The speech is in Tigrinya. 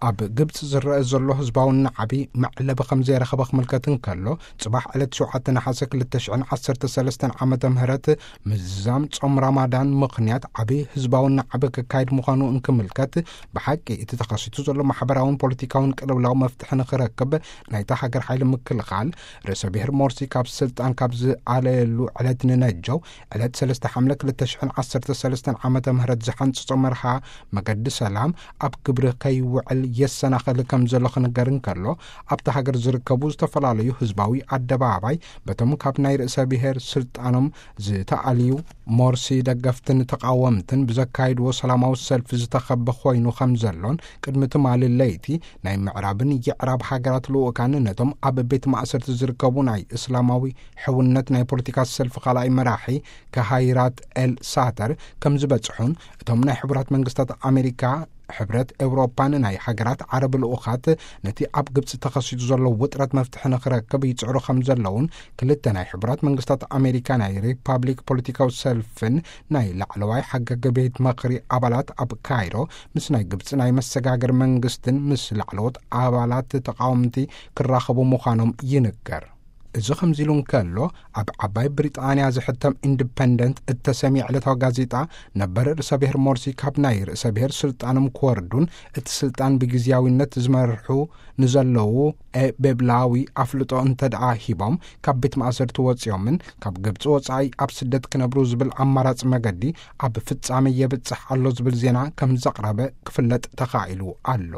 ኣብ ግብፂ ዝረአ ዘሎ ህዝባዊ ናዕቢ መዕለቢ ከም ዘይረኸበ ክምልከት እንከሎ፣ ፅባሕ ዕለት ሸውዓተ ነሓሰ ክልተ ሽሕን ዓሰርተ ሰለስተን ዓመተ ምህረት ምዝዛም ጾም ራማዳን ምኽንያት ዓቢ ህዝባዊ ናዕቢ ክካየድ ምዃኑ እንክምልከት፣ ብሓቂ እቲ ተኸሲቱ ዘሎ ማሕበራውን ፖለቲካውን ቅልውላው መፍትሒ ንኽረክብ ናይታ ሃገር ሓይሊ ምክልኻል፣ ርእሰ ብሔር ሞርሲ ካብ ስልጣን ካብ ዝኣለየሉ ዕለት ንነጀው ዕለት ሰለስተ ሓምለ ክልተ ሽሕን ዓሰርተ ሰለስተን ዓመተ ምህረት ዝሓንጽጾ መርሃ መገዲ ሰላም ኣብ ግብሪ ከይውዕል የሰናኸል ከም ዘሎ ክንገር እንከሎ፣ ኣብታ ሃገር ዝርከቡ ዝተፈላለዩ ህዝባዊ ኣደባባይ በቶም ካብ ናይ ርእሰ ብሔር ስልጣኖም ዝተኣልዩ ሞርሲ ደገፍትን ተቃወምትን ብዘካይድዎ ሰላማዊ ሰልፊ ዝተኸበ ኮይኑ ከም ዘሎን፣ ቅድሚ ትማሊ ለይቲ ናይ ምዕራብን የዕራብ ሃገራት ልኡካን ነቶም ኣብ ቤት ማእሰርቲ ዝርከቡ ናይ እስላማዊ ሕውነት ናይ ፖለቲካ ሰልፊ ካልኣይ መራሒ ከሃይራት ኤል ሳተር ከም ዝበጽሑን፣ እቶም ናይ ሕቡራት መንግስታት ኣሜሪካ፣ ሕብረት ኤውሮጳን ናይ ሃገራት ዓረብ ልኡኻት ነቲ ኣብ ግብጺ ተኸሲቱ ዘሎ ውጥረት መፍትሒ ንኽረክብ ይጽዕሩ ከም ዘለውን፣ ክልተ ናይ ሕቡራት መንግስታት ኣሜሪካ ናይ ሪፓብሊክ ፖለቲካዊ ሰልፍን ናይ ላዕለዋይ ሓጋጊ ቤት ምኽሪ ኣባላት ኣብ ካይሮ ምስ ናይ ግብጺ ናይ መሰጋገሪ መንግስትን ምስ ላዕለዎት ኣባላት ተቃወምቲ ክራኸቡ ምዃኖም ይንገር። እዚ ከምዚ ኢሉ እንከሎ፣ ኣብ ዓባይ ብሪጣንያ ዝሕተም ኢንዲፐንደንት እተሰምየ ዕለታዊ ጋዜጣ፣ ነበር ርእሰ ብሔር ሞርሲ ካብ ናይ ርእሰ ብሔር ስልጣኖም ክወርዱን እቲ ስልጣን ብግዝያዊነት ዝመርሑ ንዘለዉ ኤ ቤብላዊ ኣፍልጦ እንተ ደኣ ሂቦም፣ ካብ ቤት ማእሰርቲ ወጺኦምን ካብ ግብጺ ወጻኢ ኣብ ስደት ክነብሩ ዝብል ኣማራጺ መገዲ ኣብ ፍጻሜ የብጽሕ ኣሎ ዝብል ዜና ከም ዘቕረበ ክፍለጥ ተኻኢሉ ኣሎ።